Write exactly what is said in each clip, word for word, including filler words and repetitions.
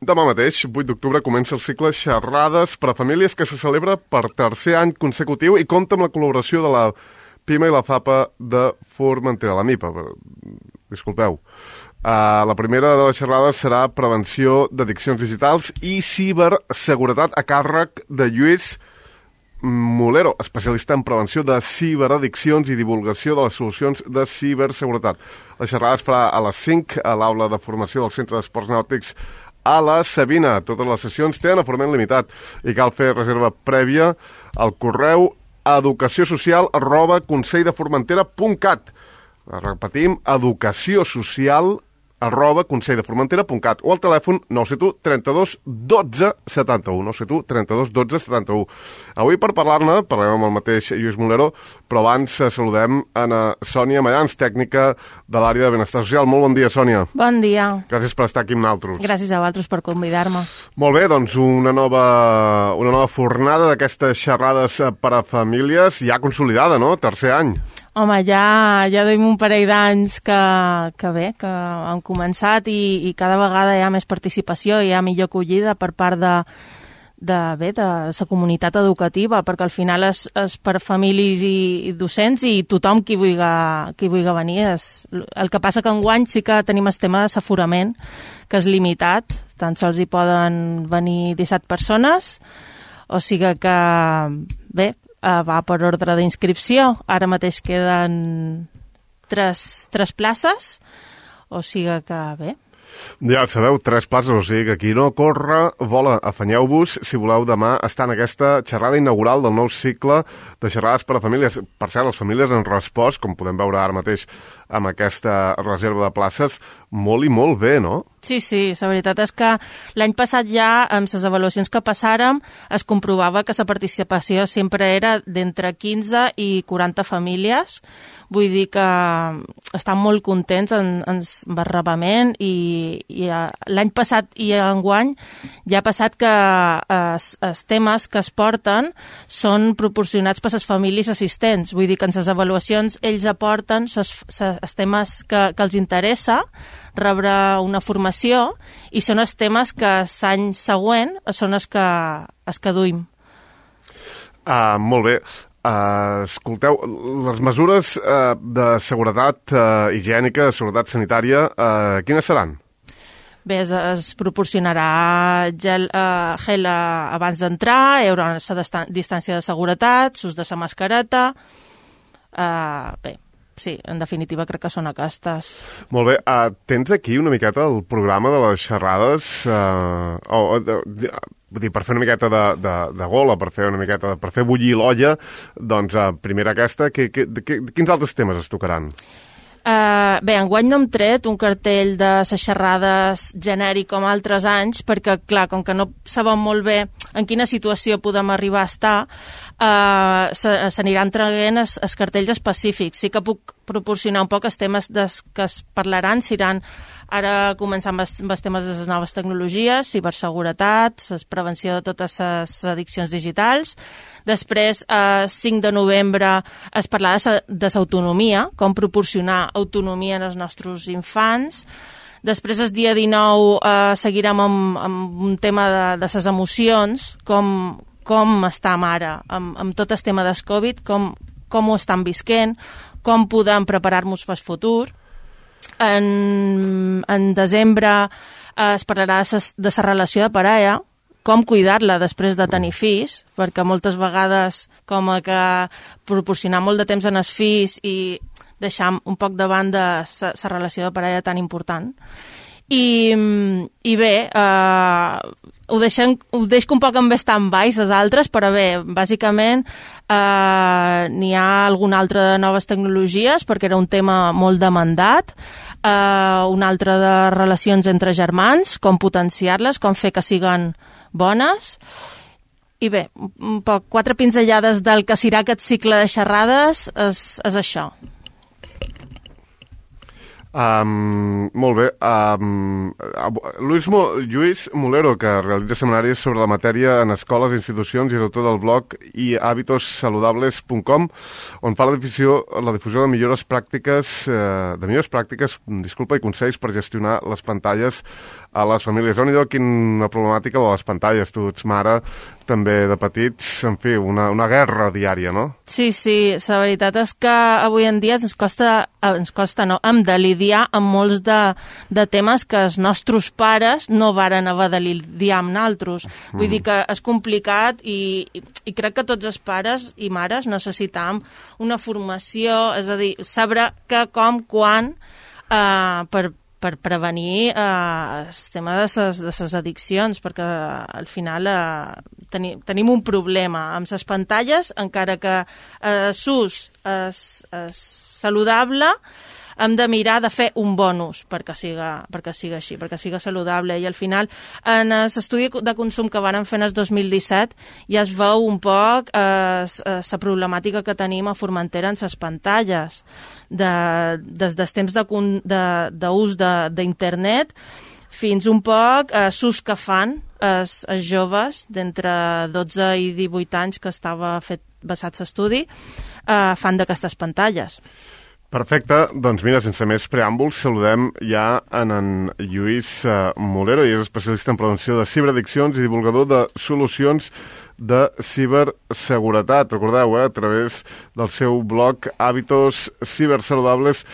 Demà mateix, vuit d'octubre, comença el cicle Xerrades per a Famílies que se celebra per tercer any consecutiu i compta amb la col·laboració de la PIMA i la FAPA de Formentera, la MIPA, disculpeu. Uh, la primera de les xerrades serà prevenció d'addiccions digitals i ciberseguretat a càrrec de Lluís Mulero, especialista en prevenció de ciberaddiccions i divulgació de les solucions de ciberseguretat. La xerrada es farà a les cinc a l'aula de formació del Centre d'Esports Nàutics a la Sabina. Totes les sessions tenen aforament limitat i cal fer reserva prèvia al correu educaciosocial arroba conselldeformentera.cat. Repetim, educaciosocial arroba conselldeformentera.cat o al telèfon nou set u trenta-dos dotze setanta-u, nou set u trenta-dos dotze setanta-u. Avui per parlar-ne, parlem amb el mateix Lluís Mulero, però abans saludem a Sònia Mayans, tècnica de l'àrea de benestar social. Molt bon dia, Sònia. Bon dia. Gràcies per estar aquí amb nosaltres. Gràcies a vosaltres per convidar-me. Molt bé, doncs una nova, una nova fornada d'aquestes xerrades per a famílies ja consolidada, no? Tercer any. Home, ja, ja duim un parell d'anys que, que bé, que han començat i, i cada vegada hi ha més participació, hi ha millor acollida per part de, de, bé, de la comunitat educativa, perquè al final és, és per famílies i, i docents i tothom qui vulgui, qui vulgui venir. És, el que passa que enguany sí que tenim el tema d'aforament, que és limitat, tan sols hi poden venir disset persones, o sigui que, bé, Uh, va per ordre d'inscripció. Ara mateix queden tres, tres places, o sigui que bé. Ja sabeu, tres places, o sigui que aquí no corre, vola, afanyeu-vos si voleu demà estar en aquesta xerrada inaugural del nou cicle de xerrades per a famílies. Per cert, les famílies han respost, com podem veure ara mateix amb aquesta reserva de places, molt i molt bé, no? Sí, sí, la veritat és que l'any passat ja, amb les avaluacions que passàrem, es comprovava que la participació sempre era d'entre quinze i quaranta famílies. Vull dir que estan molt contents en, en el barrabament i, i l'any passat i enguany ja ha passat que els, els temes que es porten són proporcionats per les famílies assistents. Vull dir que en les avaluacions ells aporten els temes que, que els interessa rebre una formació i són els temes que l'any següent són els que, els que duim. Ah, molt bé. Uh, escolteu, les mesures uh, de seguretat uh, higiènica, de seguretat sanitària, uh, quines seran? Bé, es, es proporcionarà gel, uh, gel uh, abans d'entrar, hi haurà una distància de seguretat, s'ús de la mascareta, uh, bé, sí, en definitiva crec que són aquestes. Molt bé, uh, tens aquí una miqueta el programa de les xerrades, uh, o, de, de, vull dir, per fer una miqueta de, de, de gola, per fer una miqueta, per fer bullir l'olla, doncs uh, primera aquesta, que, que, que, quins altres temes es tocaran? Uh, bé, enguany no hem tret un cartell de les xerrades genèric com altres anys, perquè, clar, com que no sabem molt bé en quina situació podem arribar a estar, uh, s'aniran traient els, els cartells específics. Sí que puc proporcionar un poc els temes des, que es parlaran, seran ara començant amb els, amb els temes de les noves tecnologies, ciberseguretat, la prevenció de totes les addiccions digitals. Després, el cinc de novembre, es parlarà de l'autonomia, com proporcionar autonomia als nostres infants. Després, el dia dinou, eh, seguirem amb, amb un tema de, de les emocions, com, com estem ara amb, amb tot el tema del Covid, com, com ho estan visquent, com podem preparar-nos per al futur. En, en desembre eh, es parlarà de la relació de parella, com cuidar-la després de tenir fills, perquè moltes vegades com que proporcionar molt de temps en els fills i deixar un poc de banda la relació de parella tan important. I, i bé, eh, ho, deixem, ho deixo un poc en stand-by, les altres, però bé, bàsicament eh, n'hi ha alguna altra de noves tecnologies, perquè era un tema molt demandat, eh, un altre de relacions entre germans, com potenciar-les, com fer que siguen bones, i bé, un poc, quatre pinzellades del que serà aquest cicle de xerrades és, és això. Um, molt bé. Um, Lluís, Mo, Lluís Mulero, que realitza seminaris sobre la matèria en escoles, institucions i és autor del blog i hábitos saludables punt com, on fa la difusió, la difusió de millores pràctiques, eh, de millors pràctiques, disculpa, i consells per gestionar les pantalles a les famílies. Déu-n'hi-do, quina problemàtica de les pantalles. Tu ets mare també de petits, en fi, una, una guerra diària, no? Sí, sí, la veritat és que avui en dia ens costa, ens costa no, hem de lidiar amb molts de, de temes que els nostres pares no varen haver de lidiar amb naltros. Vull mm. dir que és complicat i, i, i crec que tots els pares i mares necessitam una formació, és a dir, saber què, com, quan, eh, per per prevenir eh, el tema de ses, de ses addiccions, perquè al final eh, teni, tenim un problema amb les pantalles, encara que eh, s'ús és, és saludable, hem de mirar de fer un bon ús perquè siga, perquè siga així, perquè siga saludable. I al final, en l'estudi de consum que van fer en el dos mil disset, ja es veu un poc la eh, eh, problemàtica que tenim a Formentera en les pantalles. De, des dels temps d'ús de, d'internet fins un poc eh, l'ús que fan els, els joves d'entre dotze i divuit anys que estava fet basat l'estudi, eh, fan d'aquestes pantalles. Perfecte, doncs mira, sense més preàmbuls, saludem ja en en Lluís uh, Molero, i és especialista en prevenció de ciberaddiccions i divulgador de solucions de ciberseguretat. Recordeu, eh, a través del seu blog hábitos cibersaludables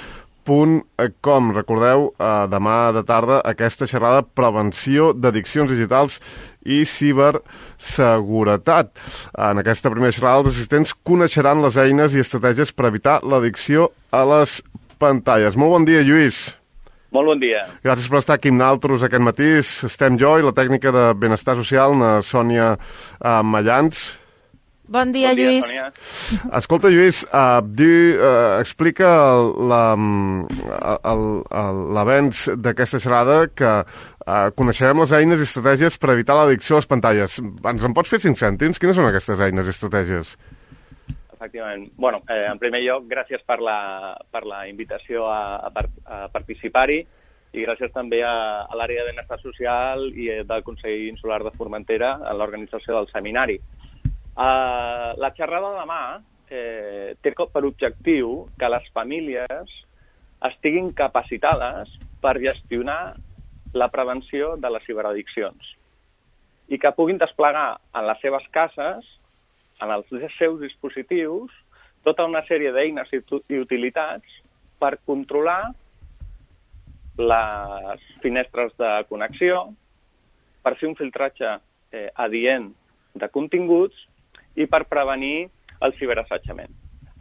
punt com. Recordeu, eh, demà de tarda, aquesta xerrada prevenció d'addiccions digitals i ciberseguretat. En aquesta primera xerrada, els assistents coneixeran les eines i estratègies per evitar l'addicció a les pantalles. Molt bon dia, Lluís. Molt bon dia. Gràcies per estar aquí amb nosaltres aquest matí. Estem jo i la tècnica de benestar social, la Sònia uh, Mallans. Bon dia, bon dia, Lluís. Sònia. Escolta, Lluís, uh, di, uh, explica l'avenç d'aquesta xerrada que uh, coneixerem les eines i estratègies per evitar l'addicció a les pantalles. Ens en pots fer cinc cèntims? Quines són aquestes eines i estratègies? Efectivament. Bueno, eh, en primer lloc, gràcies per la, per la invitació a, a, a participar-hi i gràcies també a, a l'àrea de benestar social i del Consell Insular de Formentera en l'organització del seminari. Uh, la xerrada de demà eh, té per objectiu que les famílies estiguin capacitades per gestionar la prevenció de les ciberaddiccions i que puguin desplegar en les seves cases, en els seus dispositius, tota una sèrie d'eines i utilitats per controlar les finestres de connexió, per fer un filtratge eh, adient de continguts i per prevenir el ciberassetjament.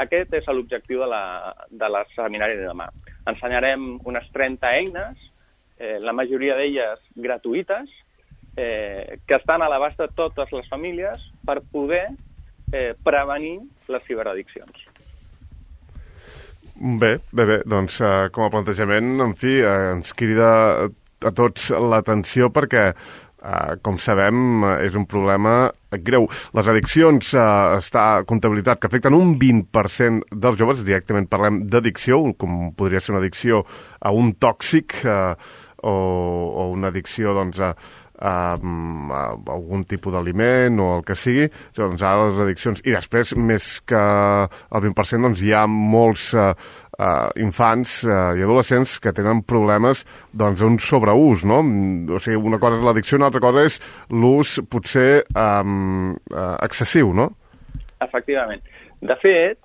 Aquest és l'objectiu de la, de la seminari de demà. Ensenyarem unes trenta eines, eh, la majoria d'elles gratuïtes, eh, que estan a l'abast de totes les famílies per poder eh, prevenir les ciberaddiccions. Bé, bé, bé, doncs eh, com a plantejament, en fi, eh, ens crida a tots l'atenció perquè Uh, com sabem, uh, és un problema greu. Les addiccions uh, està comptabilitzat que afecten un vint per cent dels joves, directament parlem d'addicció, com podria ser una addicció a un tòxic uh, o, o una addicció doncs, a, a, a algun tipus d'aliment o el que sigui. Doncs ara les addiccions, i després més que el vint per cent doncs, hi ha molts uh, Uh, infants uh, i adolescents que tenen problemes doncs, d'un sobreús, no? O sigui, una cosa és l'addicció, una altra cosa és l'ús potser um, uh, excessiu, no? Efectivament. De fet,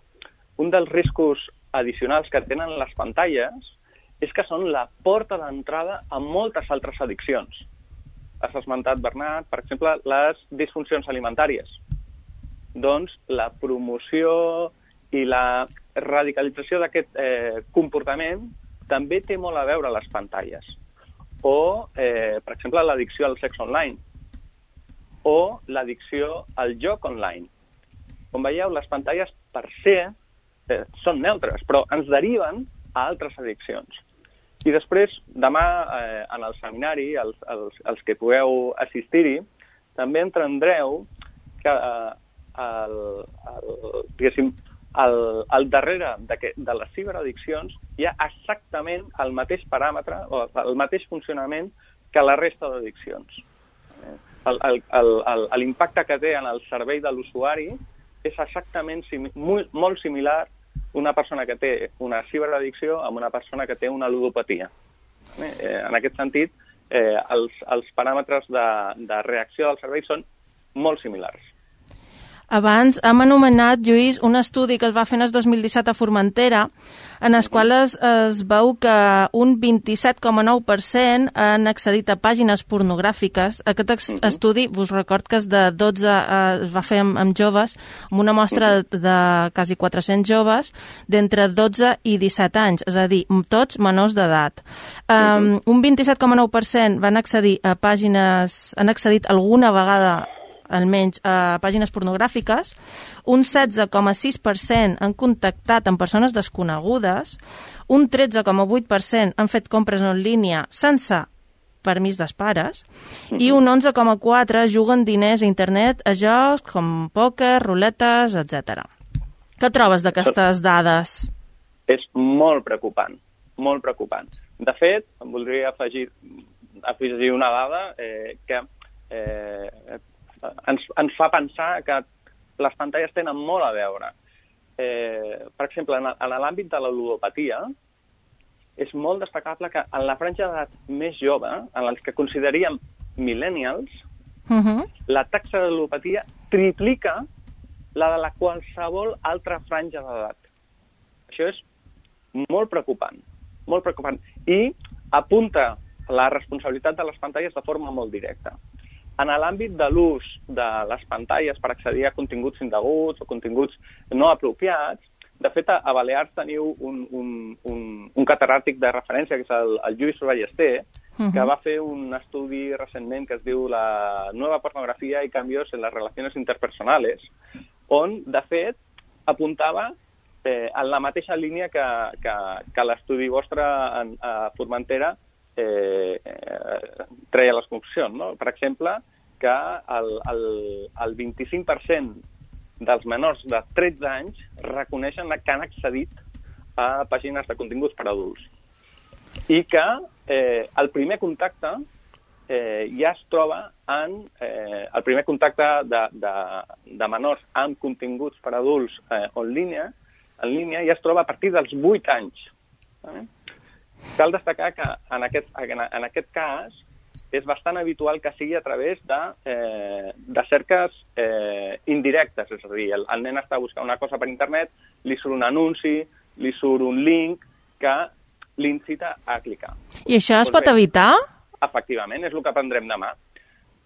un dels riscos addicionals que tenen les pantalles és que són la porta d'entrada a moltes altres addiccions. Has esmentat, Bernat, per exemple, les disfuncions alimentàries. Doncs la promoció i la radicalització d'aquest eh, comportament també té molt a veure a les pantalles. O, eh, per exemple, l'addicció al sexe online. O l'addicció al joc online. Com veieu, les pantalles per se eh, són neutres, però ens deriven a altres addiccions. I després, demà, eh, en el seminari, els, els, els que pugueu assistir-hi, també entendreu que eh, el, el, diguéssim, Al, al darrere de, que, de les ciberaddiccions hi ha exactament el mateix paràmetre o el mateix funcionament que la resta d'addiccions. L'impacte que té en el cervell de l'usuari és exactament simi, molt, molt similar una persona que té una ciberaddicció amb una persona que té una ludopatia. Eh, en aquest sentit, eh, els, els paràmetres de, de reacció del cervell són molt similars. Abans hem anomenat, Lluís, un estudi que es va fer en el dos mil disset a Formentera, en el qual es, es veu que un vint-i-set coma nou per cent han accedit a pàgines pornogràfiques. Aquest ex uh -huh. estudi, vos record que és de dotze, eh, es va fer amb, amb joves, amb una mostra uh -huh. de, de quasi quatre-cents joves d'entre dotze i disset anys, és a dir, tots menors d'edat. Um, uh -huh. Un vint-i-set coma nou per cent van accedir a pàgines, han accedit alguna vegada almenys a pàgines pornogràfiques, un setze coma sis per cent han contactat amb persones desconegudes, un tretze coma vuit per cent han fet compres en línia sense permís dels pares, uh-huh. i un onze coma quatre per cent juguen diners a internet a jocs com pòquer, ruletes, etcètera. Què trobes d'aquestes dades? És molt preocupant, molt preocupant. De fet, em voldria afegir, afegir una dada eh, que eh, Ens, ens fa pensar que les pantalles tenen molt a veure. Eh, per exemple, en, en l'àmbit de la ludopatia, és molt destacable que en la franja d'edat més jove, en els que consideríem millennials, uh-huh. la taxa de ludopatia triplica la de la qualsevol altra franja d'edat. Això és molt preocupant, molt preocupant. I apunta la responsabilitat de les pantalles de forma molt directa. En l'àmbit de l'ús de les pantalles per accedir a continguts indeguts o continguts no apropiats, de fet, a Balears teniu un, un, un, un catedràtic de referència, que és el, el Lluís Ballester, uh-huh. que va fer un estudi recentment que es diu La nueva pornografia y cambios en las relaciones interpersonales, on, de fet, apuntava eh, en la mateixa línia que, que, que l'estudi vostre en, a Formentera Eh, eh, treia les conclusions, no? Per exemple, que el, el, el vint-i-cinc per cent dels menors de tretze anys reconeixen que han accedit a pàgines de continguts per adults. I que eh, el primer contacte eh, ja es troba en... Eh, el primer contacte de, de, de menors amb continguts per adults eh, en línia, en línia ja es troba a partir dels vuit anys. Eh? Cal destacar que en aquest, en aquest cas és bastant habitual que sigui a través de, eh, de cerques eh, indirectes, és a dir, el, el nen està buscant una cosa per internet, li surt un anunci, li surt un link que l'incita a clicar. I això es pot evitar? Efectivament, és el que aprendrem demà.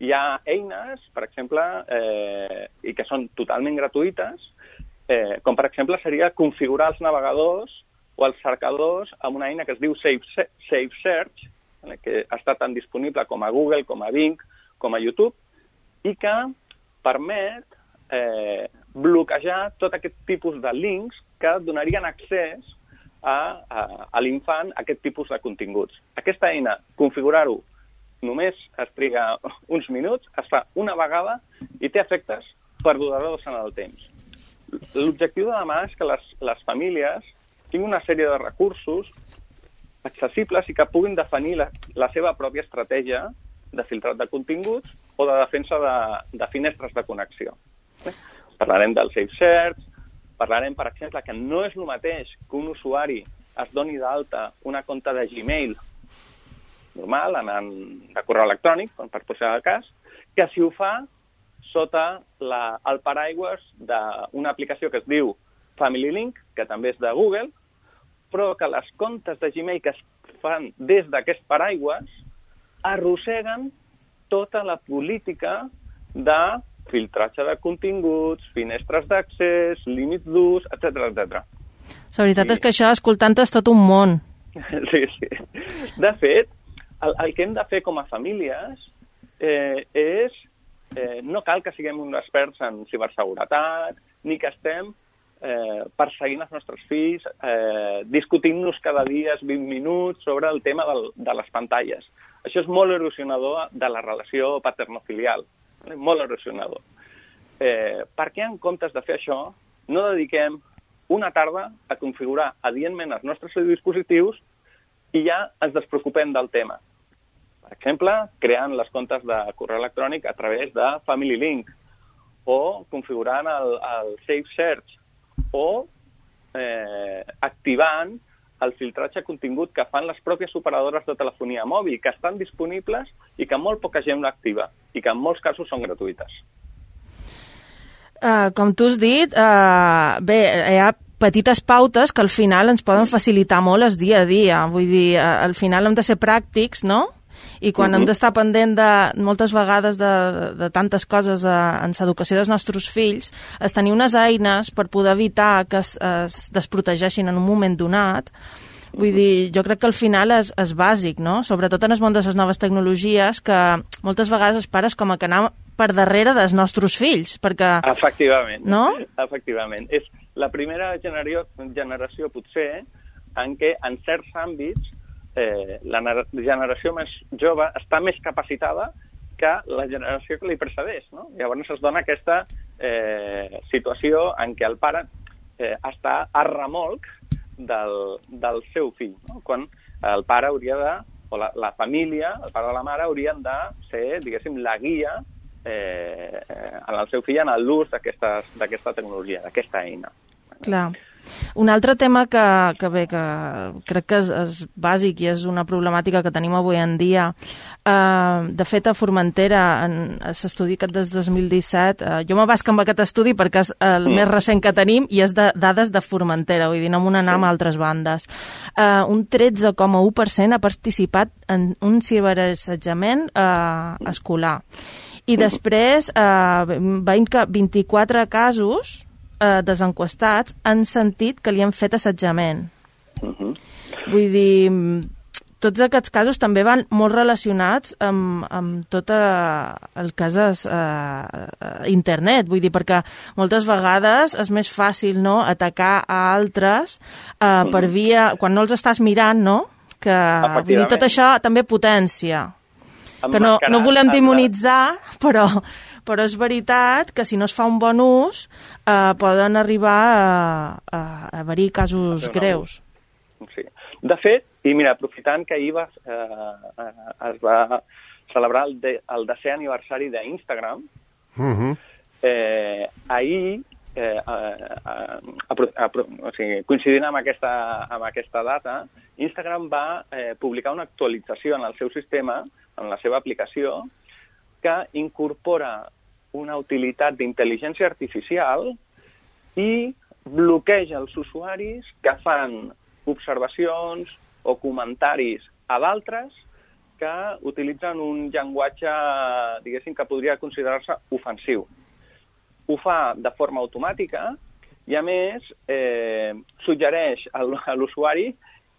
Hi ha eines, per exemple, eh, i que són totalment gratuïtes, eh, com per exemple seria configurar els navegadors o els cercadors amb una eina que es diu Safe, Safe Search, que està tan disponible com a Google, com a Bing, com a YouTube, i que permet eh, bloquejar tot aquest tipus de links que donarien accés a, a, a l'infant a aquest tipus de continguts. Aquesta eina, configurar-ho, només es triga uns minuts, es fa una vegada i té efectes perduradors en el temps. L'objectiu de demà és que les, les famílies tinguin una sèrie de recursos accessibles i que puguin definir la, la seva pròpia estratègia de filtrat de continguts o de defensa de, de finestres de connexió. Eh? Parlarem del Safe Search, parlarem, per exemple, que no és el mateix que un usuari es doni d'alta una compte de Gmail normal, en, en, de correu electrònic, per posar el cas, que si ho fa sota la, el paraigües d'una aplicació que es diu Family Link, que també és de Google, però que les comptes de Gmail que es fan des d'aquest paraigües arrosseguen tota la política de filtratge de continguts, finestres d'accés, límits d'ús, etcètera, etcètera. La veritat I... és que això, escoltant, és tot un món. Sí, sí. De fet, el, el que hem de fer com a famílies eh, és... Eh, no cal que siguem uns experts en ciberseguretat, ni que estem eh, perseguint els nostres fills, eh, discutint-nos cada dia vint minuts sobre el tema del, de les pantalles. Això és molt erosionador de la relació paternofilial, eh, molt erosionador. Eh, per què, en comptes de fer això, no dediquem una tarda a configurar adientment els nostres dispositius i ja ens despreocupem del tema? Per exemple, creant les comptes de correu electrònic a través de Family Link o configurant el, el Safe Search o eh, activant el filtratge contingut que fan les pròpies operadores de telefonia mòbil, que estan disponibles i que molt poca gent l'activa, i que en molts casos són gratuïtes. Uh, com tu has dit, uh, bé, hi ha petites pautes que al final ens poden facilitar molt el dia a dia. Vull dir, uh, al final hem de ser pràctics, no? I quan uh-huh. hem d'estar pendent de moltes vegades de, de, de tantes coses uh, en l'educació dels nostres fills, és tenir unes eines per poder evitar que es, es desprotegeixin en un moment donat. Vull dir, jo crec que al final és, és bàsic, no? Sobretot en el món de les noves tecnologies, que moltes vegades els pares com a que anem per darrere dels nostres fills, perquè... Efectivament, no? Efectivament. És la primera generació, generació potser, en què en certs àmbits eh, la generació més jove està més capacitada que la generació que li precedeix, no? Llavors es dona aquesta eh, situació en què el pare eh, està a remolc del, del seu fill, no? Quan el pare hauria de, o la, la família, el pare o la mare haurien de ser, diguéssim, la guia eh, en el seu fill en l'ús d'aquesta tecnologia, d'aquesta eina. Clar. Un altre tema que, que bé, que crec que és, és bàsic i és una problemàtica que tenim avui en dia. Uh, de fet, a Formentera, en l'estudi aquest des dos mil disset, uh, jo me basc amb aquest estudi perquè és el mm. més recent que tenim i és de dades de Formentera, vull dir, no m'ho anam a altres bandes. Uh, un tretze coma u per cent ha participat en un ciberassetjament uh, escolar. I després, uh, veiem que vint-i-quatre casos eh, desenquestats han sentit que li han fet assetjament. Uh-huh. Vull dir, tots aquests casos també van molt relacionats amb, amb tot el que és eh, internet, vull dir, perquè moltes vegades és més fàcil, no?, atacar a altres eh, per via, quan no els estàs mirant, no?, que vull dir, tot això també potència. Que no, no volem demonitzar, però, però és veritat que si no es fa un bon ús eh, poden arribar a, a, a haver-hi casos greus. Sí. De fet, i mira, aprofitant que ahir va, eh, es va celebrar el, de, el desè aniversari d'Instagram, uh-huh. eh, ahir, eh, eh, apro, apro, o sigui, coincidint amb aquesta, amb aquesta data, Instagram va eh, publicar una actualització en el seu sistema, en la seva aplicació, que incorpora una utilitat d'intel·ligència artificial i bloqueja els usuaris que fan observacions o comentaris a d'altres que utilitzen un llenguatge, diguéssim, que podria considerar-se ofensiu. Ho fa de forma automàtica i, a més, eh, suggereix a l'usuari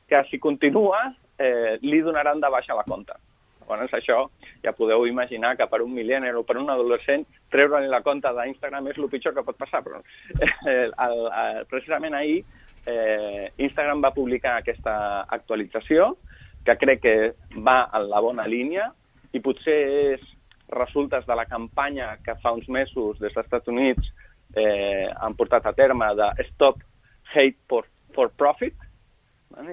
que si continua eh, li donaran de baixa la compte. Llavors, això ja podeu imaginar que per un millennial o per un adolescent treure-li la compte d'Instagram és el pitjor que pot passar. Però eh, el, el, precisament ahir eh, Instagram va publicar aquesta actualització que crec que va en la bona línia i potser és resultes de la campanya que fa uns mesos des dels Estats Units eh, han portat a terme de Stop Hate for, for Profit,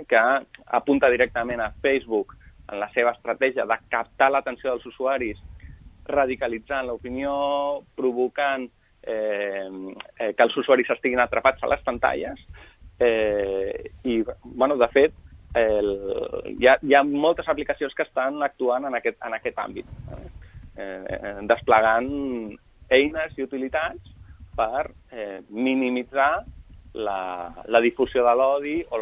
que apunta directament a Facebook en la seva estratègia de captar l'atenció dels usuaris, radicalitzant l'opinió, provocant eh, eh, que els usuaris estiguin atrapats a les pantalles. Eh, I, bueno, de fet, el, hi, ha, hi ha moltes aplicacions que estan actuant en aquest, en aquest àmbit, eh, desplegant eines i utilitats per eh, minimitzar La, la difusió de l'odi o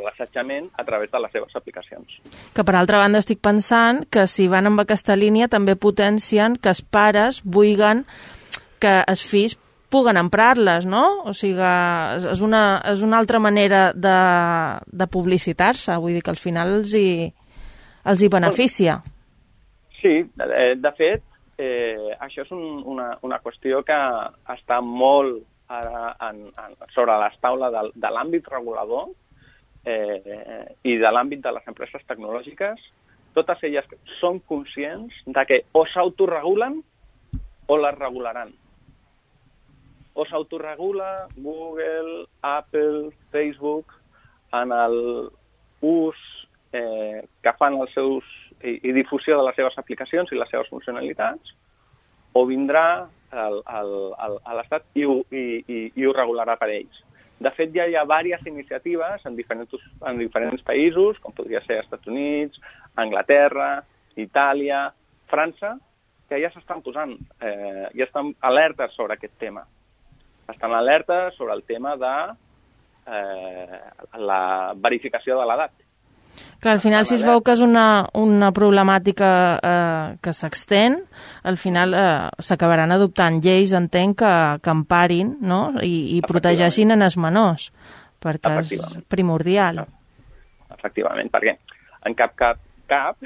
l'assetjament a través de les seves aplicacions. Que per altra banda estic pensant que si van amb aquesta línia també potencien que els pares vulguin que els fills puguen emprar-les, no? O sigui, és una, és una altra manera de, de publicitar-se, vull dir que al final els hi, els hi beneficia. Sí, de, de fet, eh, això és un, una, una qüestió que està molt ara en, en, sobre les taules de, de l'àmbit regulador eh, i de l'àmbit de les empreses tecnològiques. Totes elles són conscients de que o s'autoregulen o les regularan. O s'autoregula Google, Apple, Facebook en l'ús eh, que fan els seus i, i difusió de les seves aplicacions i les seves funcionalitats, o vindrà a l'Estat i, i, i, i ho regularà per ells. De fet, ja hi ha diverses iniciatives en diferents, en diferents països, com podria ser Estats Units, Anglaterra, Itàlia, França, que ja s'estan posant, eh, ja estan alertes sobre aquest tema. Estan alertes sobre el tema de eh, la verificació de l'edat. Clar, al final, si es veu que és una, una problemàtica eh, que s'extén, al final eh, s'acabaran adoptant lleis, entenc, que, que emparin, no? I, i protegeixin en els menors, perquè és primordial. Efectivament, perquè en cap cap, cap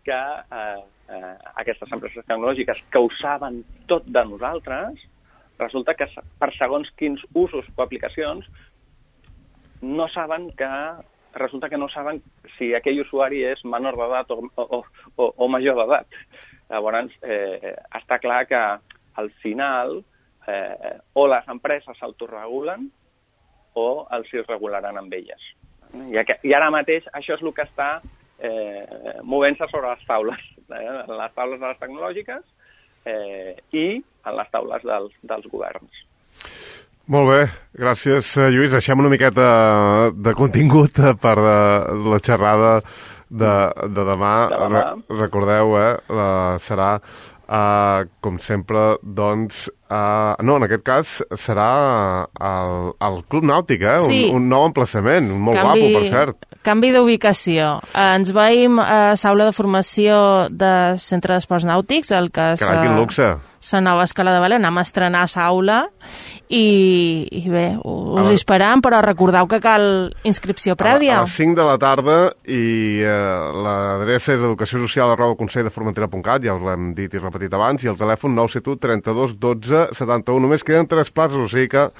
que eh, eh, aquestes empreses tecnològiques que ho saben tot de nosaltres, resulta que per segons quins usos o aplicacions no saben que resulta que no saben si aquell usuari és menor d'edat o, o, o, o major d'edat. Llavors, eh, està clar que al final eh, o les empreses s'autoregulen o els hi regularan amb elles. I, I ara mateix això és el que està eh, movent-se sobre les taules, eh, les taules de les tecnològiques eh, i en les taules dels, dels governs. Molt bé, gràcies, Lluís. Deixem una miqueta de contingut per la xerrada de, de demà. De demà. Re, recordeu, eh, la, serà, uh, com sempre, doncs... Uh, no, en aquest cas serà el, el Club Nàutic, eh? Sí. Un, un nou emplaçament, molt canvi, guapo, per cert. Canvi d'ubicació. Uh, ens veiem a l'aula de formació del Centre d'Esports Nàutics, el que és Carai, quin luxe. la nova escala de vela. Anem a estrenar l'aula i, i bé, us hi esperam, però recordeu que cal inscripció prèvia. A, a les cinc de la tarda i eh, l'adreça és educació social arroba consell de formentera punt cat, ja us l'hem dit i repetit abans, i el telèfon nou set u trenta-dos dotze setanta-u. Només queden tres places, o sigui que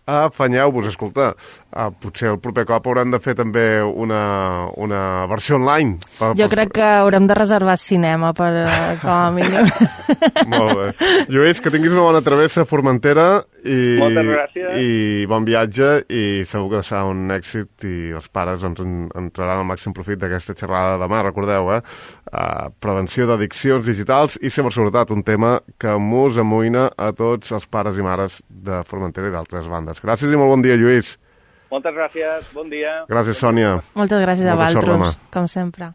afanyeu-vos. Escolta, uh, potser el proper cop haurem de fer també una, una versió online. Per, jo per... crec que haurem de reservar cinema per, uh, com a mínim. Molt bé. Lluís, que tinguis una bona travessa a Formentera i, moltes gràcies. I bon viatge, i segur que serà un èxit i els pares doncs, en, en traran el màxim profit d'aquesta xerrada de demà. Recordeu, eh? Uh, prevenció d'addiccions digitals i ciberseguretat, un tema que mos amoïna a tots els pares i mares de Formentera i d'altres bandes. Gràcies i molt bon dia, Lluís. Moltes gràcies, bon dia. Gràcies, Sònia. Moltes gràcies a vosaltres, com sempre.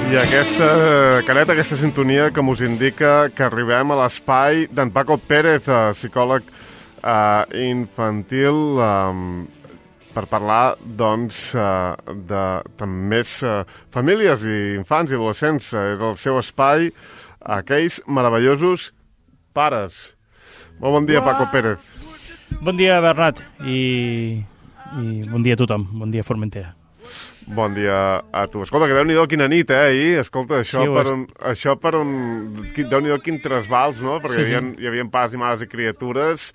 I aquesta careta, aquesta sintonia que mos indica que arribem a l'espai d'en Paco Pérez, psicòleg uh, infantil, um, per parlar, doncs, uh, de també uh, famílies i infants i adolescents. Uh, és el seu espai, aquells meravellosos pares. Molt bon dia, Paco Pérez. Bon dia, Bernat, i, i bon dia a tothom. Bon dia, Formentera. Bon dia a tu. Escolta, que Déu-n'hi-do quina nit, eh, ahir. Escolta, això sí, per un... Això per un... Déu-n'hi-do quin trasbals, no? Perquè sí, hi, havia, sí. hi havia pares i mares i criatures.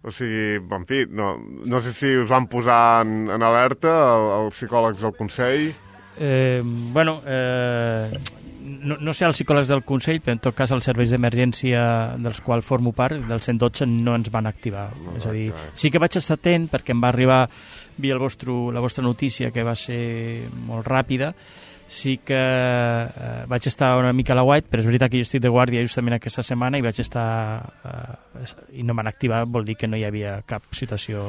O sigui, en fi, no, no sé si us van posar en, en alerta els psicòlegs del Consell. Eh, bueno, eh, no, no sé els psicòlegs del Consell, però en tot cas els serveis d'emergència dels quals formo part, del cent dotze, no ens van activar. No, és a dir, okay. Sí que vaig estar atent perquè em va arribar via el vostre, la vostra notícia, que va ser molt ràpida. Sí que eh, vaig estar una mica a la white, però és veritat que jo estic de guàrdia justament aquesta setmana i vaig estar eh, i no m'han activat, vol dir que no hi havia cap situació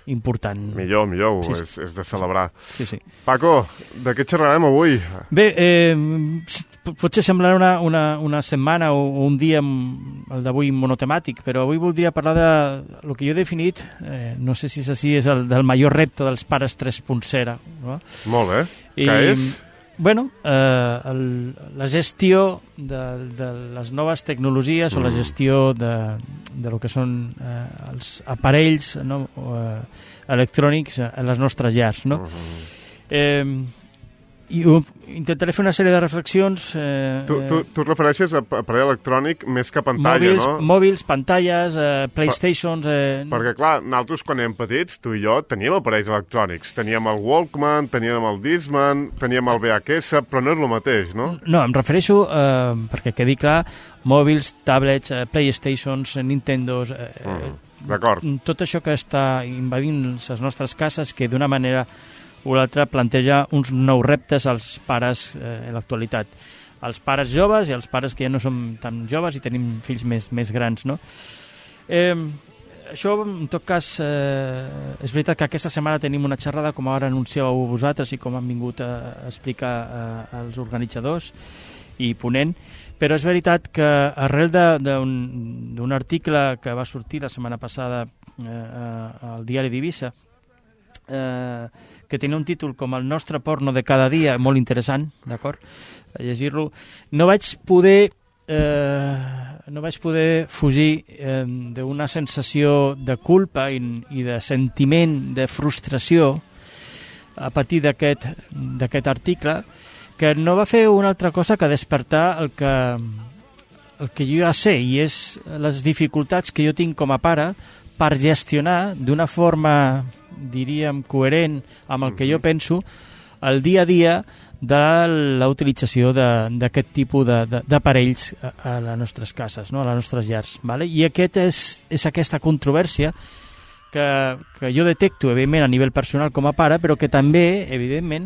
important. Millor, millor, sí, és, és de celebrar. Sí, sí. Paco, de què xerrarem avui? Bé, eh, potser semblarà una, una, una setmana o, o un dia el d'avui monotemàtic, però avui voldria parlar de el que jo he definit, eh, no sé si és així, és el del major repte dels pares tres punt zero. No? Molt bé. I, què és? Bueno, eh, el, la gestió de, de les noves tecnologies mm. o la gestió de, de lo que són eh, els aparells, no, eh, electrònics a les nostres llars, no? Mm-hmm. Eh, i uh, intentaré fer una sèrie de reflexions. Eh, tu, tu, tu et refereixes a aparell electrònic més que a pantalla, mòbils, no? Mòbils, pantalles, eh, Playstations... Eh... Perquè, clar, nosaltres quan érem petits, tu i jo, teníem aparells electrònics. Teníem el Walkman, teníem el Discman, teníem el V H S, però no és el mateix, no? No, em refereixo, eh, perquè quedi clar, mòbils, tablets, eh, Playstations, Nintendos... Eh, mm. tot això que està invadint les nostres cases, que d'una manera o l'altra planteja uns nous reptes als pares eh, en l'actualitat. Els pares joves i els pares que ja no som tan joves i tenim fills més, més grans, no? Eh, això, en tot cas, eh, és veritat que aquesta setmana tenim una xerrada, com ara anunciàveu vosaltres i com han vingut a, a explicar eh, els organitzadors i ponent, però és veritat que arrel d'un article que va sortir la setmana passada eh, al diari d'Eivissa, eh, que tenia un títol com El nostre porno de cada dia, molt interessant, d'acord? A llegir-lo. No vaig poder eh, no vaig poder fugir eh, d'una sensació de culpa i, i de sentiment de frustració a partir d'aquest d'aquest article, que no va fer una altra cosa que despertar el que, el que jo ja sé, i és les dificultats que jo tinc com a pare per gestionar d'una forma, diríem, coherent amb el que jo penso, el dia a dia de la utilització d'aquest tipus d'aparells a, a les nostres cases, no? A les nostres llars. Vale? I aquest és, és aquesta controvèrsia que, que jo detecto, evidentment, a nivell personal com a pare, però que també, evidentment,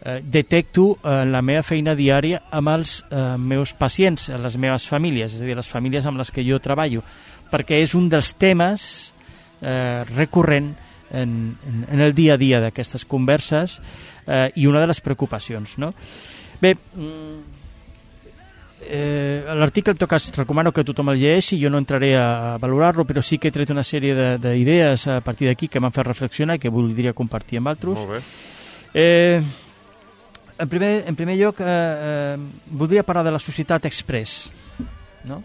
eh, detecto en la meva feina diària amb els eh, meus pacients, les meves famílies, és a dir, les famílies amb les que jo treballo, perquè és un dels temes eh, recurrent en, en, en el dia a dia d'aquestes converses eh, i una de les preocupacions, no? Bé, eh, l'article, en tot cas, recomano que tothom el llegeixi, jo no entraré a valorar-lo, però sí que he tret una sèrie d'idees a partir d'aquí que m'han fet reflexionar i que voldria compartir amb altres. Molt bé. Eh, en, primer, en primer lloc, eh, eh, voldria parlar de la societat express, no?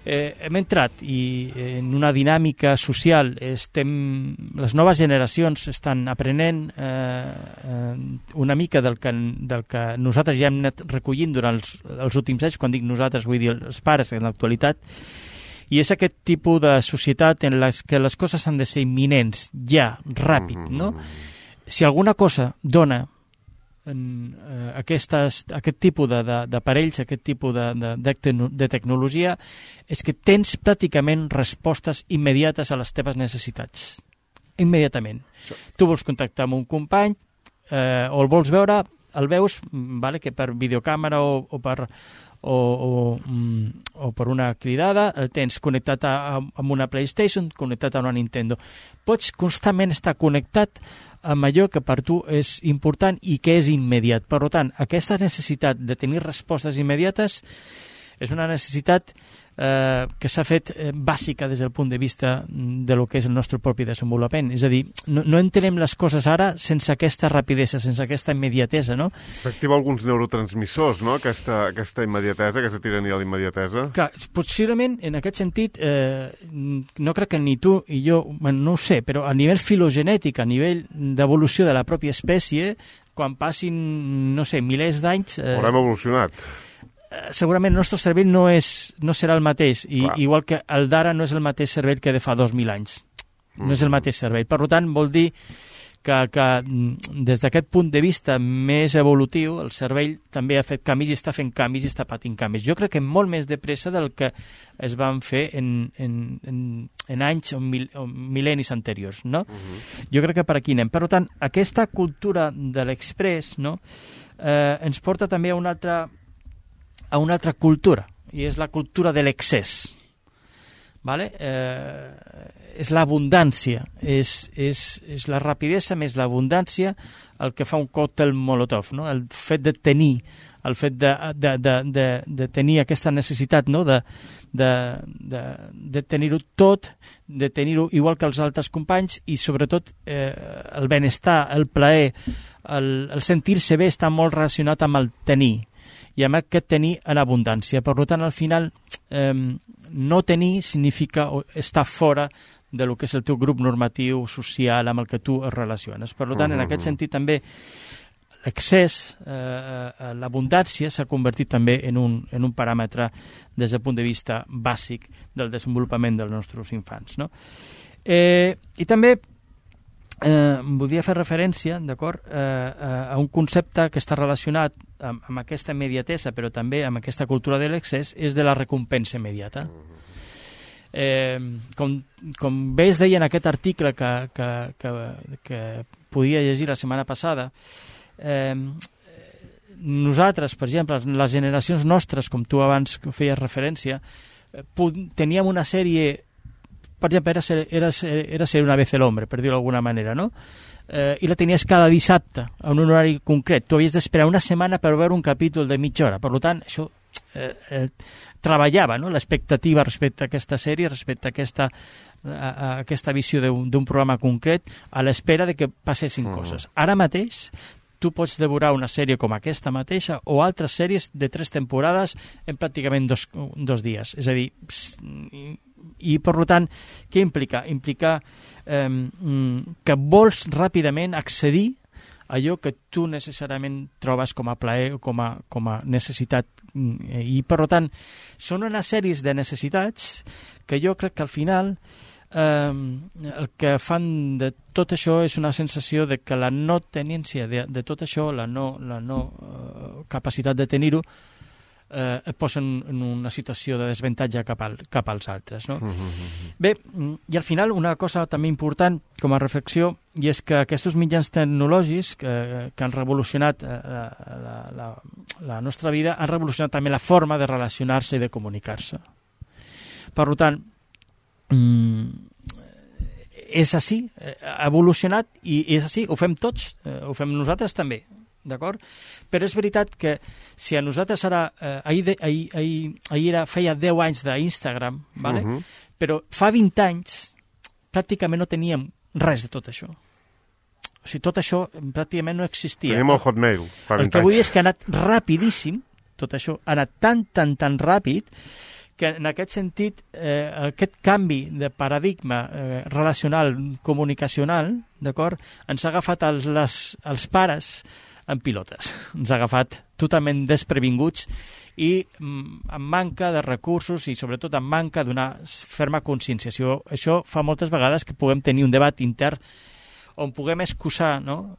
Eh, hem entrat i en una dinàmica social, estem, les noves generacions estan aprenent eh, eh, una mica del que, del que nosaltres ja hem anat recollint durant els, els últims anys. Quan dic nosaltres vull dir els pares en l'actualitat, i és aquest tipus de societat en les que les coses han de ser imminents, ja, ràpid, no? Si alguna cosa dona en, eh, aquestes, aquest tipus d'aparells, aquest tipus de, de, de, de tecnologia, és que tens pràcticament respostes immediates a les teves necessitats. Immediatament. Sí. Tu vols contactar amb un company, eh, o el vols veure, el veus, vale, que per videocàmera o, o, per, o, o, o per una cridada, el tens connectat a, a, amb una PlayStation, connectat a una Nintendo. Pots constantment estar connectat amb allò que per tu és important i que és immediat. Per tant, aquesta necessitat de tenir respostes immediates és una necessitat eh, que s'ha fet eh, bàsica des del punt de vista de lo que és el nostre propi desenvolupament. És a dir, no, no entenem les coses ara sense aquesta rapidesa, sense aquesta immediatesa, no? S'activa alguns neurotransmissors, no?, aquesta, aquesta immediatesa, aquesta tirania a la immediatesa. Clar, possiblement, en aquest sentit, eh, no crec que ni tu i jo, no ho sé, però a nivell filogenètic, a nivell d'evolució de la pròpia espècie, quan passin, no sé, milers d'anys... Eh, Haurem evolucionat. Segurament el nostre cervell no, és, no serà el mateix, i, igual que el d'ara no és el mateix cervell que de fa dos mil anys. No mm. és el mateix cervell. Per tant, vol dir que, que des d'aquest punt de vista més evolutiu, el cervell també ha fet canvis i està fent canvis i està patint canvis. Jo crec que molt més de pressa del que es van fer en, en, en, en anys o, mil, o mil·lennis anteriors, no? Mm-hmm. Jo crec que per aquí anem. Per tant, aquesta cultura de l'express, no?, eh, ens porta també a una altra a una altra cultura, i és la cultura de l'excés. Vale? Eh, és l'abundància, és, és, és la rapidesa més l'abundància el que fa un còctel Molotov, no? El fet de tenir, el fet de, de, de, de, de tenir aquesta necessitat, no?, de, de, de, de tenir-ho tot, de tenir-ho igual que els altres companys, i sobretot eh, el benestar, el plaer, el, el sentir-se bé està molt relacionat amb el tenir, i amb aquest tenir en abundància. Per tant, al final, eh, no tenir significa estar fora de lo que és el teu grup normatiu social amb el que tu es relaciones. Per tant, en aquest sentit, també l'excés, eh, l'abundància s'ha convertit també en un, en un paràmetre des del punt de vista bàsic del desenvolupament dels nostres infants, no? Eh, I també Eh, voldria fer referència, d'acord, eh, a un concepte que està relacionat amb, amb aquesta immediatesa, però també amb aquesta cultura de l'excés, és de la recompensa immediata. Eh, com, com bé es deia en aquest article que, que, que, que podia llegir la setmana passada, eh, nosaltres, per exemple, les generacions nostres, com tu abans feies referència, teníem una sèrie, per exemple, era ser, era ser, era ser una vez el hombre, per dir-ho d'alguna manera, no? Eh, i la tenies cada dissabte, en un horari concret. Tu havies d'esperar una setmana per veure un capítol de mitja hora. Per tant, això eh, eh, treballava, no?, l'expectativa respecte a aquesta sèrie, respecte a aquesta, a, a aquesta visió d'un programa concret, a l'espera de que passessin uh-huh. coses. Ara mateix, tu pots devorar una sèrie com aquesta mateixa o altres sèries de tres temporades en pràcticament dos, dos dies. És a dir, i, i per tant, què implica? Implica eh, que vols ràpidament accedir a allò que tu necessàriament trobes com a plaer o com a, com a necessitat. I per tant, són unes sèries de necessitats que jo crec que al final eh, el que fan de tot això és una sensació de que la no tenència de, de tot això, la no, la no eh, capacitat de tenir-ho, eh, et posen en una situació de desavantatge cap, al, cap als altres. No? Mm-hmm. Bé, i al final una cosa també important com a reflexió, i és que aquests mitjans tecnològics que, que han revolucionat eh, la, la, la nostra vida han revolucionat també la forma de relacionar-se i de comunicar-se. Per tant, és així, ha evolucionat i és així, ho fem tots, ho fem nosaltres també, d'acord? Però és veritat que si a nosaltres ara, eh, ahir, de, ahir, ahir, ahir era, feia deu anys d'Instagram, vale? Uh-huh. Però fa vint anys pràcticament no teníem res de tot això. O sigui, tot això pràcticament no existia. Teníem el Hotmail fa vint anys. El que vull dir és que ha anat rapidíssim, tot això ha anat tan, tan, tan ràpid, que en aquest sentit, eh, aquest canvi de paradigma eh, relacional, comunicacional, d'acord, ens ha agafat els, les, els pares en pilotes. Ens ha agafat totalment desprevinguts i mm, amb manca de recursos i sobretot amb manca d'una ferma conscienciació. Això fa moltes vegades que puguem tenir un debat intern on puguem excusar, no?,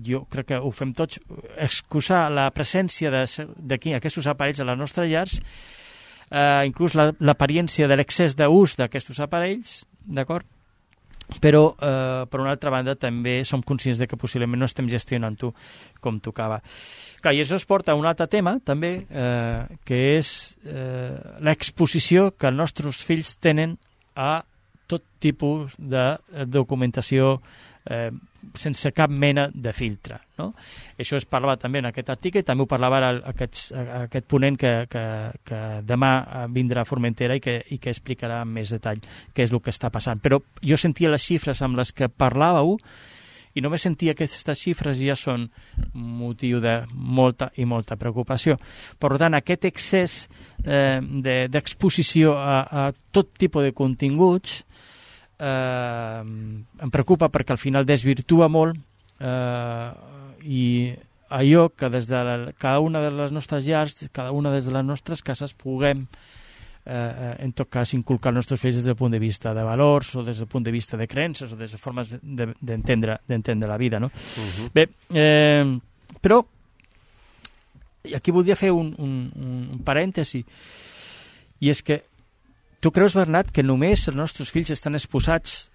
jo crec que ho fem tots, excusar la presència d'aquí, aquests aparells a les nostres llars, Uh, inclús l'apariència de l'excés d'ús d'aquests aparells, d'acord? Però, uh, per una altra banda, també som conscients de que possiblement no estem gestionant-ho com tocava. Clar, i això es porta a un altre tema, també, uh, que és uh, l'exposició que els nostres fills tenen a tot tipus de documentació eh, sense cap mena de filtre, no? Això es parlava també en aquest article i també ho parlava ara aquest, aquest ponent que, que, que demà vindrà a Formentera i que, i que explicarà amb més detall què és el que està passant. Però jo sentia les xifres amb les que parlàveu i només sentia que aquestes xifres ja són motiu de molta i molta preocupació. Per tant, aquest excés eh, d'exposició de, a, a tot tipus de continguts Eh, em preocupa perquè al final desvirtua molt eh, i allò que des de la, cada una de les nostres llars, cada una des de les nostres cases puguem eh, en tot cas inculcar els nostres fills des del punt de vista de valors o des del punt de vista de creences o des de formes d'entendre de, d'entendre la vida, no? Uh-huh. Bé, eh, però aquí voldria fer un, un, un parèntesi i és que tu creus, Bernat, que només els nostres fills estan exposats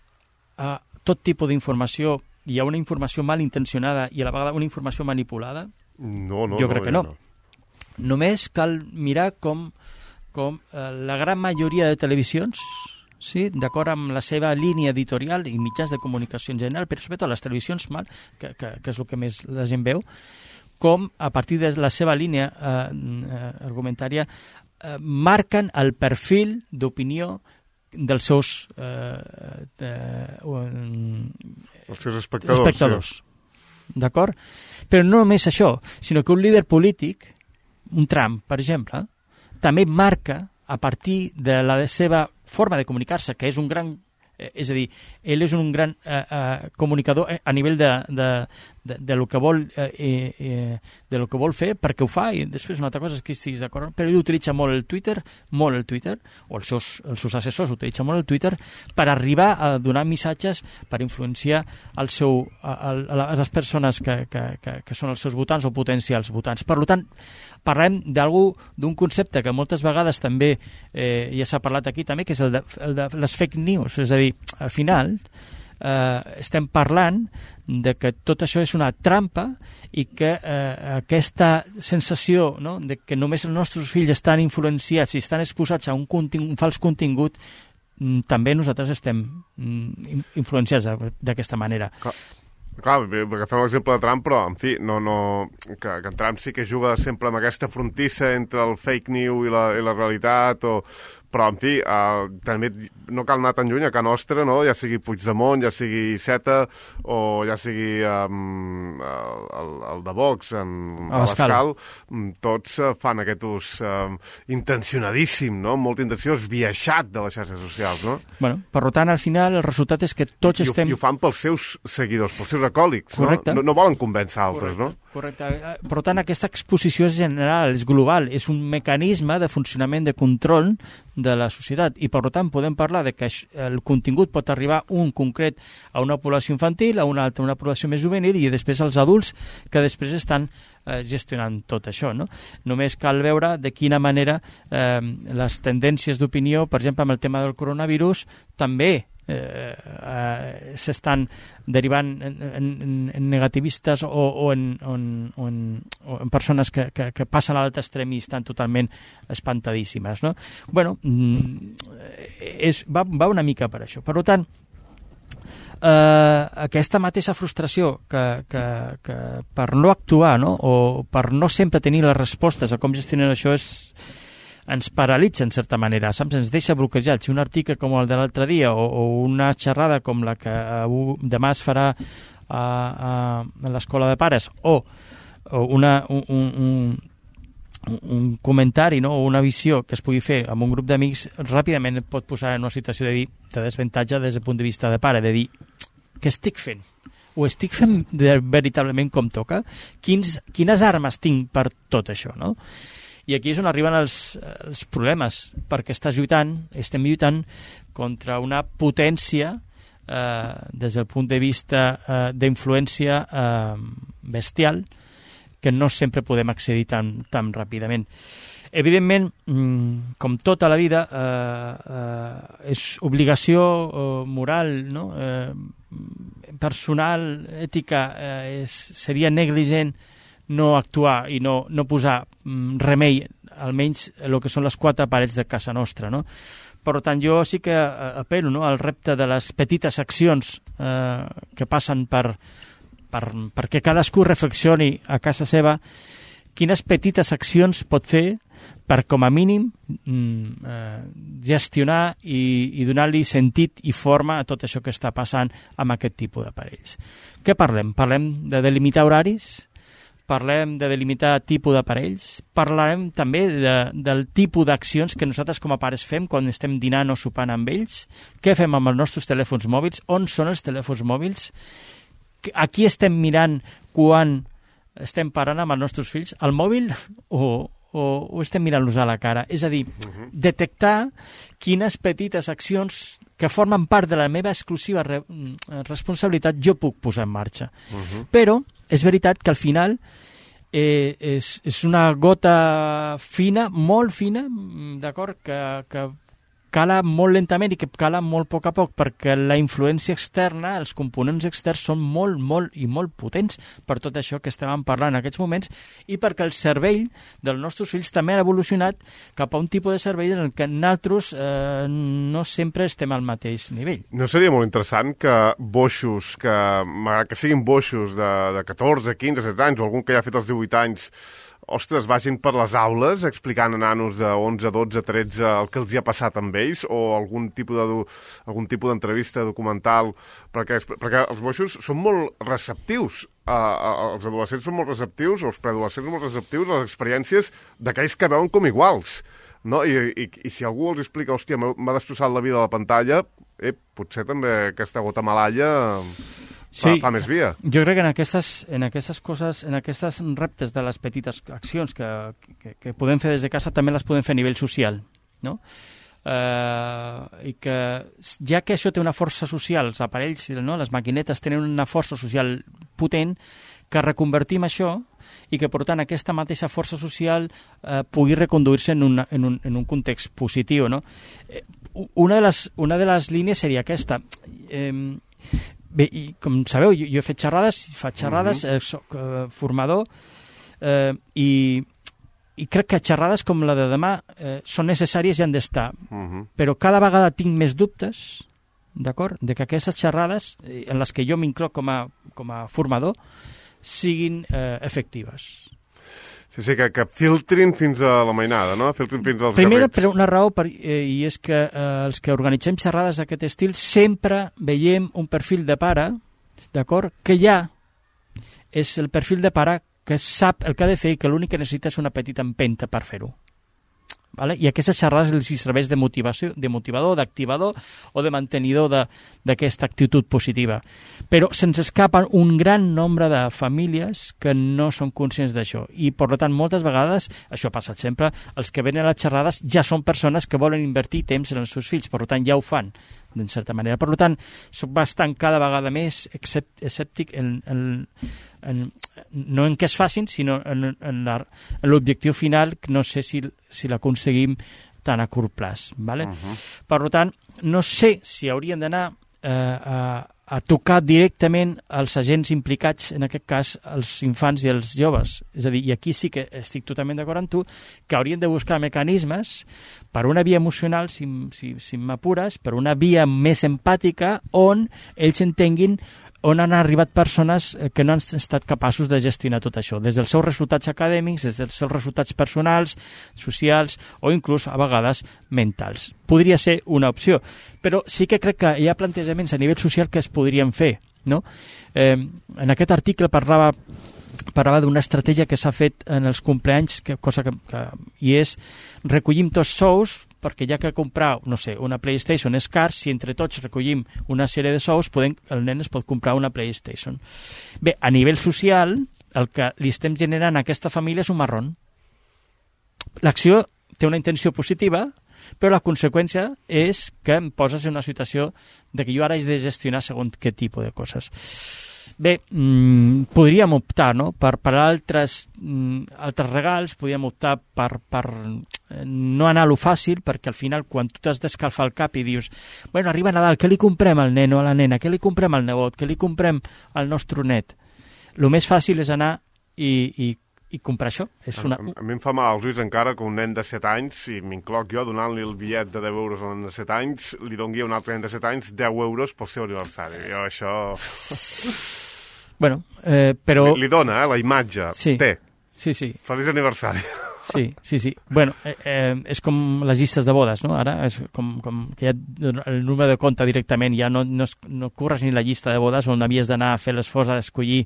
a tot tipus d'informació i a una informació malintencionada i a la vegada una informació manipulada? No, no. Jo crec no, que no. no. Només cal mirar com, com eh, la gran majoria de televisions, sí, d'acord amb la seva línia editorial i mitjans de comunicació en general, però sobretot les televisions, mal, que, que, que és el que més la gent veu, com a partir de la seva línia eh, eh, argumentària Eh, marquen el perfil d'opinió dels seus eh, de, um, els seus espectadors, espectadors. Sí. D'acord? Però no només això, sinó que un líder polític, un Trump, per exemple, també marca a partir de la seva forma de comunicar-se, que és un gran Eh, és a dir, ell és un gran eh, eh, comunicador a nivell de, de, de, de lo que vol eh, eh, de lo que vol fer, perquè ho fa, i després una altra cosa és que estiguis d'acord, però ell utilitza molt el Twitter, molt el Twitter, o els seus, els seus assessors utilitzen molt el Twitter per arribar a donar missatges, per influenciar el seu, a, a, a les persones que, que, que, que són els seus votants o potencials votants. Per tant, parlem d'algú, d'un concepte que moltes vegades també eh, ja s'ha parlat aquí també, que és el de, el de les fake news, és a dir, al final eh, estem parlant de que tot això és una trampa i que eh, aquesta sensació, no?, de que només els nostres fills estan influenciats i estan exposats a un, un fals contingut, mm, també nosaltres estem mm, influenciats d'aquesta manera. Clar. Clar, agafem l'exemple de Trump, però, en fi, no, no, que, que en Trump sí que juga sempre amb aquesta frontissa entre el fake news i la, i la realitat, o, però, en fi, eh, també no cal anar tan lluny a Can Nostra, no?, ja sigui Puigdemont, ja sigui Iceta, o ja sigui um, el, el de Vox, en Abascal, tots uh, fan aquest ús uh, intencionadíssim, no?, molt intenció, esbiaixat de les xarxes socials, no? Bueno, per tant, al final, el resultat és que tots I, estem... I ho fan pels seus seguidors, pels seus acòlics, no? no? No volen convèncer altres, Correcte. no? Correcte. Per tant, aquesta exposició és general, és global, és un mecanisme de funcionament de control de la societat i, per tant, podem parlar de que el contingut pot arribar un concret a una població infantil, a una altra, una població més juvenil i després als adults que després estan eh, gestionant tot això, no? Només cal veure de quina manera eh, les tendències d'opinió, per exemple, amb el tema del coronavirus, també Eh, eh, s'estan derivant en, en, en negativistes o, o, en, en, o, en, o en persones que, que, que passen a l'altre extrem i estan totalment espantadíssimes, no? Bueno, és, va, va una mica per això. Per tant, eh, aquesta mateixa frustració que, que, que per no actuar, no?, o per no sempre tenir les respostes a com gestionar això és ens paralitza en certa manera, saps? Ens deixa bloquejats. Si un article com el de l'altre dia o, o una xerrada com la que uh, demà es farà a, a, a l'escola de pares o, o una, un, un, un comentari, no?, o una visió que es pugui fer amb un grup d'amics, ràpidament et pot posar en una situació de, dir, de desventatge des del punt de vista de pare, de dir, què estic fent? Ho estic fent de, veritablement com toca? Quins, quines armes tinc per tot això, no? I aquí és on arriben els, els problemes, perquè estàs lluitant, estem lluitant contra una potència eh, des del punt de vista eh, d'influència eh, bestial que no sempre podem accedir tan, tan ràpidament. Evidentment, com tota la vida, eh, eh, és obligació eh, moral, no?, eh, personal, ètica, eh, és, seria negligent no actuar i no, no posar mm, remei, almenys el que són les quatre parets de casa nostra, no? Per tant, jo sí que apel·lo, no?, al repte de les petites accions eh, que passen per, per, perquè cadascú reflexioni a casa seva quines petites accions pot fer per, com a mínim, mm, eh, gestionar i, i donar-li sentit i forma a tot això que està passant amb aquest tipus d'aparells. Què parlem? Parlem de delimitar horaris? Parlem de delimitar tipus d'aparells, parlarem també de, del tipus d'accions que nosaltres com a pares fem quan estem dinant o sopant amb ells, què fem amb els nostres telèfons mòbils, on són els telèfons mòbils, a qui estem mirant quan estem parant amb els nostres fills, al mòbil o, o, o estem mirant-los a la cara. És a dir, uh-huh. detectar quines petites accions que formen part de la meva exclusiva re responsabilitat jo puc posar en marxa. Uh-huh. Però és veritat que al final eh, és, és una gota fina, molt fina, d'acord, que, que cala molt lentament i que cala molt a poc a poc, perquè la influència externa, els components externs són molt, molt i molt potents per tot això que estem parlant en aquests moments i perquè el cervell dels nostres fills també ha evolucionat cap a un tipus de cervell en què nosaltres eh, no sempre estem al mateix nivell. No seria molt interessant que boixos, que, malgrat que siguin boixos de, de catorze, quinze, setze anys o algun que ja ha fet els divuit anys, ostres, vagin per les aules explicant a nanos de onze, dotze, tretze el que els hi ha passat amb ells o algun tipus de, algun tipus d'entrevista documental, perquè, perquè els boixos són molt receptius, uh, uh, els adolescents són molt receptius, els preadolescents són molt receptius a les experiències d'aquells que veuen com iguals, no? I, i, i si algú els explica, hòstia, m'ha destrossat la vida a la pantalla, eh, potser també aquesta gota malalla fa, sí, fa més via. Jo crec que en aquestes, en aquestes coses, en aquestes reptes de les petites accions que, que, que podem fer des de casa, també les podem fer a nivell social, no? Uh, i que ja que això té una força social, els aparells, no? Les maquinetes tenen una força social potent, que reconvertim això i que, per tant, aquesta mateixa força social eh, pugui reconduir-se en, una, en, un, en un context positiu, no? Eh, una, de les, una de les línies seria aquesta. Eh, bé, i com sabeu, jo, jo he fet xerrades, faig xerrades, uh-huh. eh, soc eh, formador, eh, i i crec que xerrades com la de demà eh, són necessàries i han d'estar. Uh-huh. Però cada vegada tinc més dubtes, d'acord, de que aquestes xerrades, eh, en les que jo m'incloc com, a, com a formador, siguin eh, efectives. Sí, sí, que, que filtrin fins a la mainada, no? Filtrin fins als Primera, garrits. per una raó, per, eh, i és que eh, els que organitzem xerrades d'aquest estil sempre veiem un perfil de pare, d'acord, que ja és el perfil de pare que sap el que ha de fer i que l'únic que necessita és una petita empenta per fer-ho. Vale? I aquestes xerrades els serveix de motivació, de motivador, d'activador o de mantenidor d'aquesta actitud positiva. Però se'ns escapen un gran nombre de famílies que no són conscients d'això. I, per tant, moltes vegades, això ha passat sempre, els que venen a les xerrades ja són persones que volen invertir temps en els seus fills, per tant, ja ho fan, d'en certa manera. Per tant, soc bastant cada vegada més escèptic en, en, en, no en què es facin, sinó en, en l'objectiu final, que no sé si, si l'aconseguim tan a curt plaç. ¿Vale? Uh-huh. Per tant, no sé si haurien d'anar eh, a, a tocar directament els agents implicats, en aquest cas els infants i els joves. És a dir, i aquí sí que estic totalment d'acord amb tu, que haurien de buscar mecanismes per una via emocional, si, si, si m'apures, per una via més empàtica, on ells entenguin on han arribat persones que no han estat capaços de gestionar tot això, des dels seus resultats acadèmics, des dels seus resultats personals, socials o inclús a vegades mentals. Podria ser una opció, però sí que crec que hi ha plantejaments a nivell social que es podrien fer, no? Eh, en aquest article parlava parlava d'una estratègia que s'ha fet en els compleanys, que, cosa que, que, i és recollim tots sous, perquè ja que comprar, no sé, una PlayStation és car, si entre tots recollim una sèrie de sous, podem, el nen es pot comprar una PlayStation. Bé, a nivell social, el que li estem generant a aquesta família és un marrón. L'acció té una intenció positiva, però la conseqüència és que em poses en una situació de que jo ara he de gestionar segons què tipus de coses. Bé, mmm, podríem optar, no?, per, per altres, mm, altres regals, podríem optar per, per no anar a lo fàcil, perquè al final quan tu t'has d'escalfar el cap i dius, bueno, arriba Nadal, què li comprem al nen o a la nena, què li comprem al nebot, què li comprem al nostre net? El més fàcil és anar i, i, i comprar això. És una... a, a mi em fa mal als ulls encara que un nen de set anys, si m'incloc jo donant-li el bitllet de deu euros a un nen de set anys, li doni a un altre nen de set anys deu euros pel seu aniversari. Jo això... Bueno, eh, però... Li, li dona, eh, la imatge. Sí. Té. Sí, sí. Feliç aniversari. Sí, sí, sí. Bueno, eh, eh, és com les llistes de bodes, no? Ara és com, com que ja el número de compte directament, ja no, no, no curres ni la llista de bodes on havies d'anar a fer l'esforç a escollir,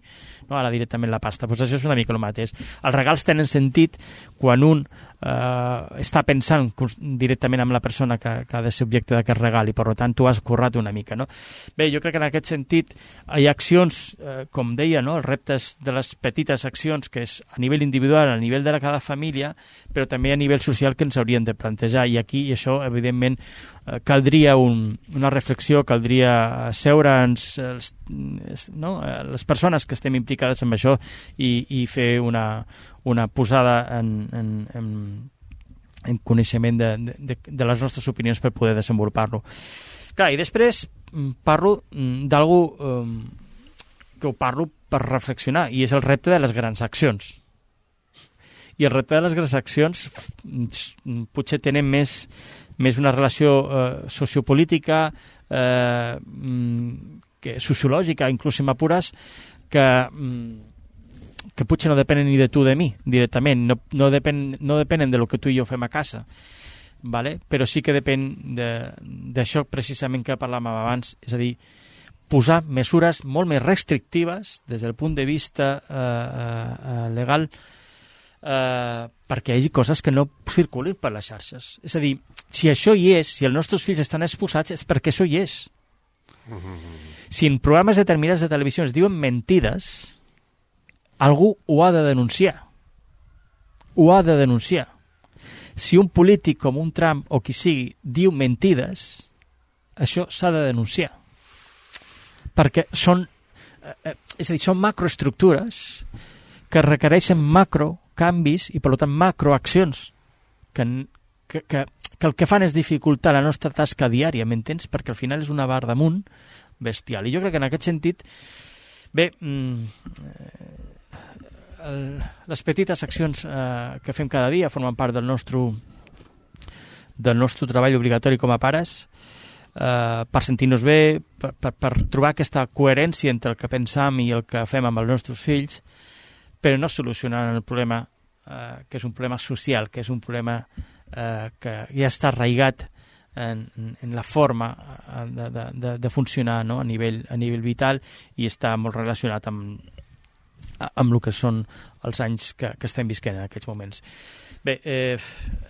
no? Ara directament la pasta. Pues això és una mica el mateix. Els regals tenen sentit quan un eh, està pensant directament amb la persona que, que ha de ser objecte d'aquest regal i per tant tu has currat una mica, no? Bé, jo crec que en aquest sentit hi ha accions, eh, com deia, no? Els reptes de les petites accions que és a nivell individual, a nivell de cada família, però també a nivell social que ens haurien de plantejar i aquí i això evidentment eh, caldria un, una reflexió, caldria seure'ns els, no? les persones que estem implicades en això i, i fer una, una posada en, en, en, en coneixement de, de, de les nostres opinions per poder desenvolupar-lo. Clar, i després parlo d'algú eh, que ho parlo per reflexionar i és el repte de les grans accions. I el repte de les grans accions potser tenen més, més una relació eh, sociopolítica, eh, que sociològica, inclús si m'apures, que, que potser no depenen ni de tu de mi, directament. No, no, depèn, no depenen de lo que tu i jo fem a casa, vale? Però sí que depèn d'això precisament que parlàvem abans, és a dir, posar mesures molt més restrictives des del punt de vista eh, eh, legal, Uh, perquè hi hagi coses que no circulin per les xarxes. És a dir, si això hi és, si els nostres fills estan exposats, és perquè això hi és. Si en programes determinats de televisió es diuen mentides, algú ho ha de denunciar. Ho ha de denunciar. Si un polític com un Trump o qui sigui diu mentides, això s'ha de denunciar. Perquè són, eh, és a dir, són macroestructures que requereixen macrocanvis i, per tant, macroaccions que, que, que, que el que fan és dificultar la nostra tasca diària, m'entens? Perquè al final és una barra damunt bestial. I jo crec que en aquest sentit, bé, mm, el, les petites accions eh, que fem cada dia formen part del nostre, del nostre treball obligatori com a pares, eh, per sentir-nos bé, per, per, per trobar aquesta coherència entre el que pensam i el que fem amb els nostres fills, però no solucionant el problema eh, que és un problema social, que és un problema eh, que ja està arraigat en, en la forma de, de, de, de funcionar, no? a, nivell, a nivell vital, i està molt relacionat amb amb el que són els anys que, que estem visquent en aquests moments. Bé, eh,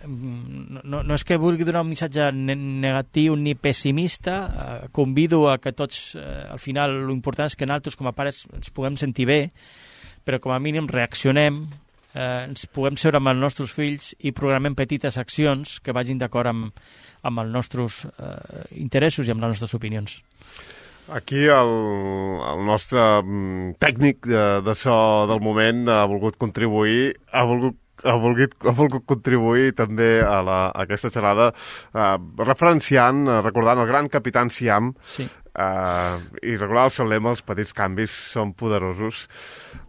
no, no és que vulgui donar un missatge ne negatiu ni pessimista, eh, convido a que tots, eh, al final, l'important és que nosaltres com a pares ens puguem sentir bé, però com a mínim reaccionem, eh, ens puguem seure amb els nostres fills i programem petites accions que vagin d'acord amb, amb els nostres eh, interessos i amb les nostres opinions. Aquí el, el nostre tècnic de, de so del moment ha volgut contribuir, ha volgut, ha volgut, ha volgut contribuir també a, la, a aquesta xerrada, eh, referenciant, recordant el gran capità Siam, sí. eh, i recordar el seu lema, els petits canvis són poderosos.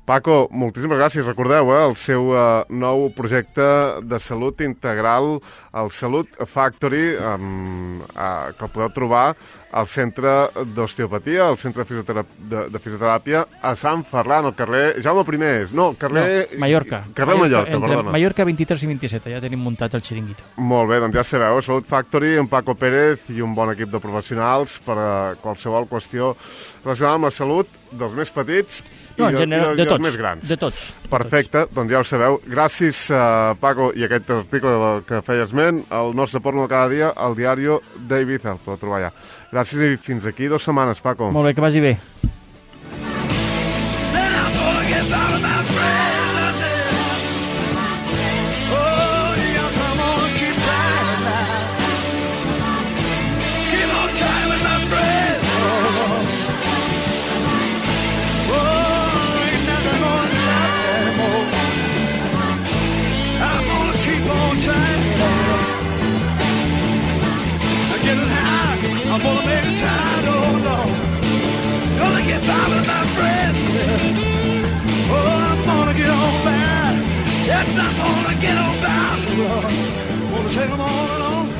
Paco, moltíssimes gràcies. Recordeu, eh, el seu eh, nou projecte de salut integral, el Salut Factory, um, eh, que el podeu trobar al Centre d'Osteopatia, al Centre de, Fisioterap de, de Fisioteràpia, a Sant Ferran, al carrer Jaume I. No, carrer... No, Mallorca. Carrer Mallorca, Mallorca perdona. Mallorca vint-i-tres i vint-i-set, ja tenim muntat el xiringuito. Molt bé, doncs ja sabeu, Salut Factory, en Paco Pérez i un bon equip de professionals per a qualsevol qüestió relacionada amb la salut dels més petits no, i, de, general, i, de, i tots, dels més grans. De tots. Perfecte, de tots. Doncs ja ho sabeu. Gràcies, uh, Paco, i aquest article que feia esment, el nostre porno de cada dia, al diari d'Ibiza, el podeu trobar allà. Gràcies i fins aquí dues setmanes, Paco. Molt bé, que vagi bé. I'm gonna make a time, oh Lord. Gonna get by with my friend. Oh, I'm gonna get on by. Yes, I'm gonna get on by. I'm gonna take them all along.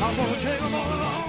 I'm gonna take them all along.